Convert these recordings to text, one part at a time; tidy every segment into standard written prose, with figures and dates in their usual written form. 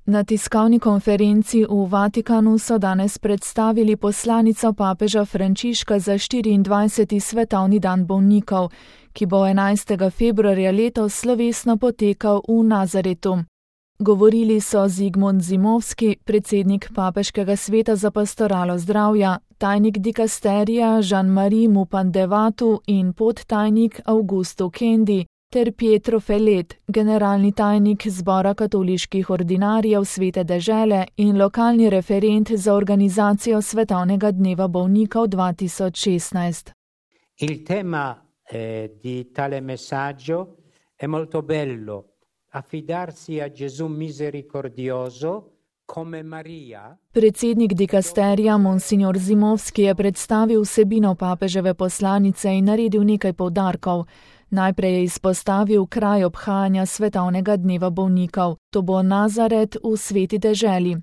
Na tiskovni konferenci v Vatikanu so danes predstavili poslanico papeža Frančiška za 24. svetovni dan bolnikov, ki bo 11. februarja letos slovesno potekal v Nazaretu. Govorili so Zigmund Zimovski, predsednik Papeškega sveta za pastoralo zdravja, tajnik dikasterija Jean-Marie Mupandevatu in podtajnik Augusto Kendi, ter Pietro Fellet, generalni tajnik Zbora katoliških ordinarjev Svete dežele in lokalni referent za organizacijo Svetovnega dneva bolnikov 2016. Il tema di tale messaggio è molto bello. Affidarsi a Gesù misericordioso come Maria. Predsednik dikasterija Monsignor Zimovski je predstavil vsebino papeževe poslanice in naredil nekaj poudarkov. Najprej je izpostavil kraj obhajanja Svetovnega dneva bolnikov. To bo Nazaret v Sveti deželi.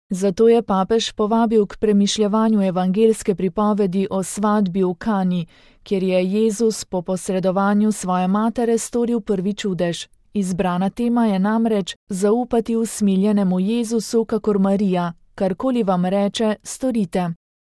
Zato je papež povabil k premišljevanju evangeljske pripovedi o svadbi v Kani, kjer je Jezus po posredovanju svoje matere storil prvi čudež. Izbrana tema je namreč zaupati usmiljenemu Jezusu kakor Marija, karkoli vam reče, storite.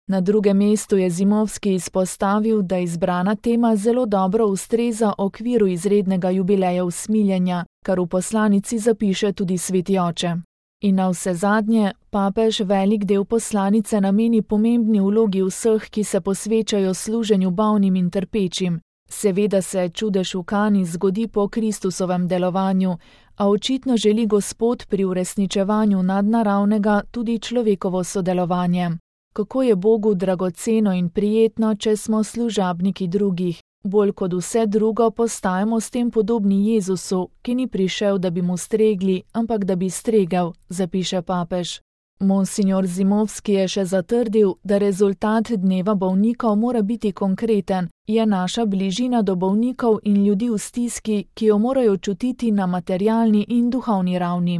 Na drugem mestu je Zimovski izpostavil, da izbrana tema zelo dobro ustreza okviru izrednega jubileja usmiljenja, kar v poslanici zapiše tudi sveti oče. In navsezadnje, papež velik del poslanice nameni pomembni vlogi vseh, ki se posvečajo služenju bolnim in trpečim. Seveda se čudež v Kani zgodi po Kristusovem delovanju, a očitno želi Gospod pri uresničevanju nadnaravnega tudi človekovo sodelovanje. Kako je Bogu dragoceno in prijetno, če smo služabniki drugih. Bolj kot vse drugo postajamo s tem podobni Jezusu, ki ni prišel, da bi mu stregli, ampak da bi stregel, zapiše papež. Monsignor Zimovski je še zatrdil, da rezultat dneva bolnikov mora biti konkreten, je naša bližina do bolnikov in ljudi v stiski, ki jo morajo čutiti na materialni in duhovni ravni.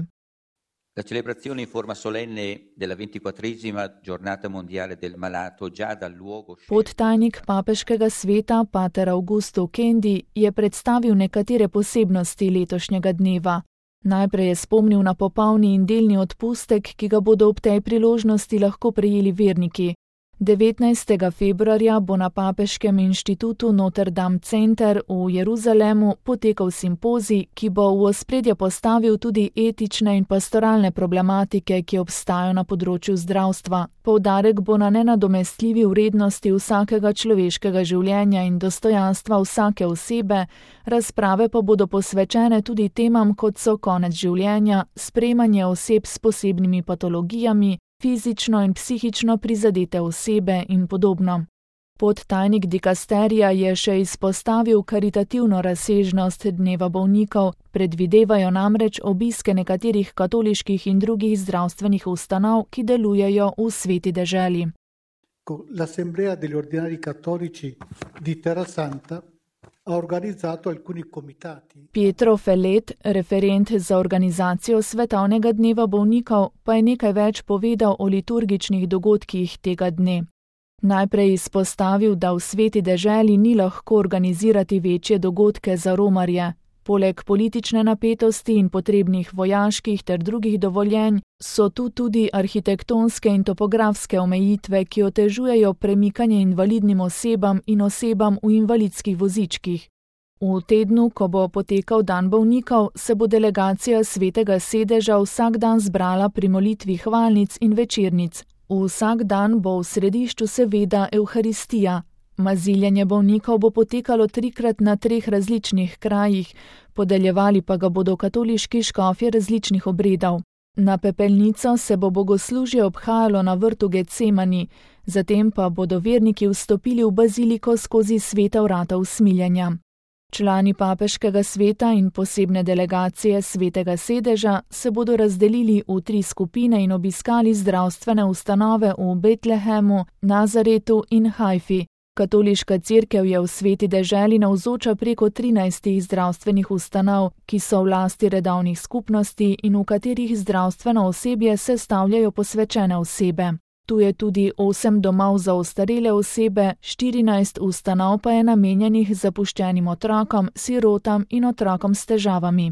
La celebrazione in forma solenne della 24esima giornata mondiale del malato già dal luogo. Podtajnik Papeškega sveta, pater Augusto Kendi, je predstavil nekatere posebnosti letošnjega dneva. Najprej je spomnil na popolni in delni odpustek, ki ga bodo ob tej priložnosti lahko prejeli verniki. 19. februarja bo na Papeškem inštitutu Notre Dame Center v Jeruzalemu potekal simpozij, ki bo v ospredje postavil tudi etične in pastoralne problematike, ki obstajajo na področju zdravstva. Poudarek bo na nenadomestljivi vrednosti vsakega človeškega življenja in dostojanstva vsake osebe, razprave pa bodo posvečene tudi temam, kot so konec življenja, sprejemanje oseb s posebnimi patologijami, fizično in psihično prizadete osebe in podobno. Podtajnik dikasterija je še izpostavil karitativno razsežnost dneva bolnikov, predvidevajo namreč obiske nekaterih katoliških in drugih zdravstvenih ustanov, ki delujejo v Sveti deželi. L'Assemblea degli Ordinari Cattolici di Terrasanta ha organizzato alcuni comitati. Pietro Fellet, referent za organizacijo Svetovnega dneva bolnikov, pa je nekaj več povedal o liturgičnih dogodkih tega dne. Najprej izpostavil, da v Sveti deželi ni lahko organizirati večje dogodke za romarje. Poleg politične napetosti in potrebnih vojaških ter drugih dovoljenj so tu tudi arhitektonske in topografske omejitve, ki otežujejo premikanje invalidnim osebam in osebam v invalidskih vozičkih. V tednu, ko bo potekal dan bolnikov, se bo delegacija Svetega sedeža vsak dan zbrala pri molitvi hvalnic in večernic. Vsak dan bo v središču seveda Evharistija. Maziljenje bolnikov bo potekalo 3krat na 3 različnih krajih, podeljevali pa ga bodo katoliški škofje različnih obredov. Na pepelnico se bo bogoslužje obhajalo na vrtu Getsemani, zatem pa bodo verniki vstopili v baziliko skozi sveta vrata usmiljenja. Člani Papeškega sveta in posebne delegacije Svetega sedeža se bodo razdelili v 3 skupine in obiskali zdravstvene ustanove v Betlehemu, Nazaretu in Hajfi. Katoliška cerkev je v Sveti deželi navzoča preko 13 zdravstvenih ustanov, ki so v lasti redovnih skupnosti in v katerih zdravstveno osebje sestavljajo posvečene osebe. Tu je tudi 8 domov za ostarele osebe, 14 ustanov pa je namenjenih zapuščenim otrokom, sirotam in otrokom s težavami.